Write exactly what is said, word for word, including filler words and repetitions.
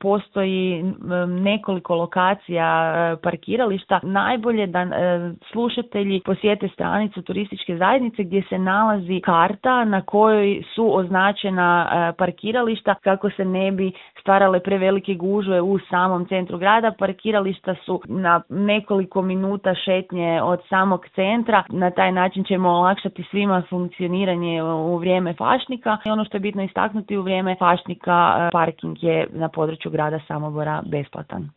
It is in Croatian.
postoji nekoliko lokacija parkirališta. Najbolje da slušatelji posjete stranicu turističke zajednice gdje se nalazi karta na kojoj su označena parkirališta kako se ne bi stvarale prevelike gužve u samom centru grada. Parkirališta su na nekoliko minuta šetnje od samog centra. Na taj način ćemo olakšati svima funkcioniranje u vrijeme fašnika. I ono što je bitno istaknuti, u vrijeme fašnika parking je na području grada Samobora besplatan.